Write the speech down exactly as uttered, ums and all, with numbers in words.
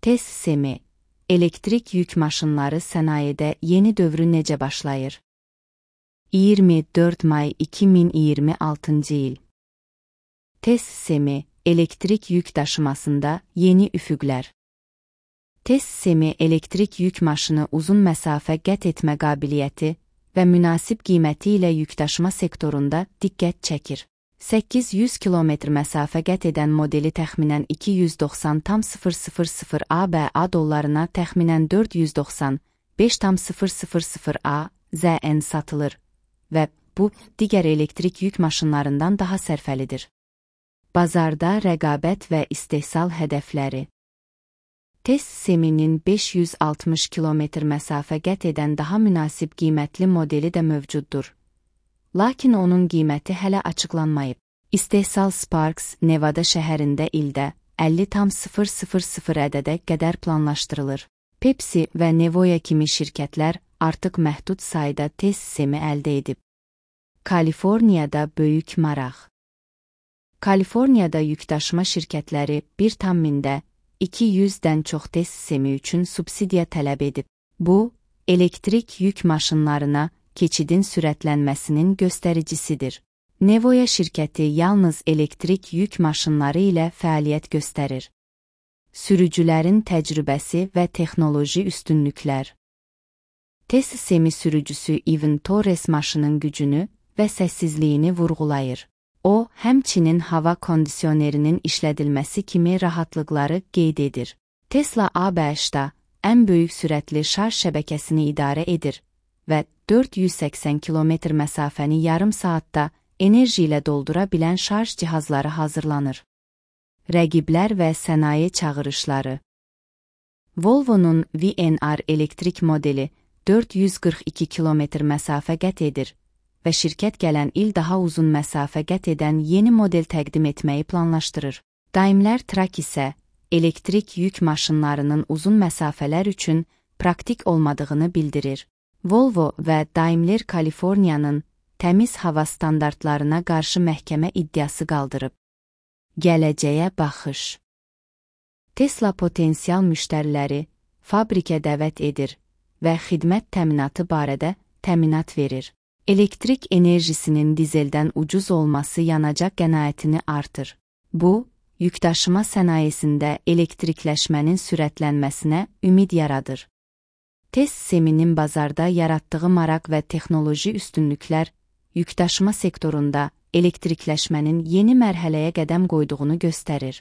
Test sistemi, elektrik yük maşınları sənayede yeni dövrü necə başlayır? iyirmi dörd may iki min iyirmi altıncı il. Test sistemi, elektrik yük daşımasında yeni üfüqlər. Test sistemi elektrik yük maşını uzun məsafə qət etmə qabiliyyəti və münasib qiyməti ilə yükdaşıma sektorunda diqqət çəkir. səkkiz yüz kilometr məsafə qət edən modeli təxminən iki yüz doxsan min ABA dollarına təxminən dörd yüz doxsan beş min A Z N satılır və bu, digər elektrik yük maşınlarından daha sərfəlidir. Bazarda rəqabət və istehsal hədəfləri. Test sisteminin beş yüz altmış kilometr məsafə qət edən daha münasib qiymətli modeli də mövcuddur. Lakin onun qiyməti hələ açıqlanmayıb. İstehsal Sparks, Nevada şəhərində ildə əlli min ədədə qədər planlaşdırılır. Pepsi və Nevoya kimi şirkətlər artıq məhdud sayda test sistemi əldə edib. Kaliforniyada böyük maraq. Kaliforniyada yükdaşıma şirkətləri bir tam mində iki yüzdən çox test sistemi üçün subsidiya tələb edib. Bu, elektrik yük maşınlarına keçidin sürətlənməsinin göstəricisidir. Nevoya şirkəti yalnız elektrik yük maşınları ilə fəaliyyət göstərir. Sürücülərin təcrübəsi və texnoloji üstünlüklər. Test sistemi sürücüsü Ivan Torres maşının gücünü və səssizliyini vurğulayır. O, həmçinin hava kondisionerinin işlədilməsi kimi rahatlıqları qeyd edir. Tesla A B H-da ən böyük sürətli şarj şəbəkəsini idarə edir və dörd yüz səksən kilometr məsafəni yarım saatda enerji ilə doldura bilən şarj cihazları hazırlanır. Rəqiblər və sənaye çağırışları. Volvo'nun V N R elektrik modeli dörd yüz qırx iki kilometr məsafə qət edir və şirkət gələn il daha uzun məsafə qət edən yeni model təqdim etməyi planlaşdırır. Daimler Truck isə elektrik yük maşınlarının uzun məsafələr üçün praktik olmadığını bildirir. Volvo və Daimler Kaliforniyanın təmiz hava standartlarına qarşı məhkəmə iddiası qaldırıb. Gələcəyə baxış. Tesla potensial müştəriləri fabrikə dəvət edir və xidmət təminatı barədə təminat verir. Elektrik enerjisinin dizeldən ucuz olması yanacaq qənaətini artır. Bu, yükdaşıma sənayesində elektrikləşmənin sürətlənməsinə ümid yaradır. Test sisteminin bazarda yaratdığı maraq və texnoloji üstünlüklər, yükdaşıma sektorunda elektrikləşmənin yeni mərhələyə qədəm qoyduğunu göstərir.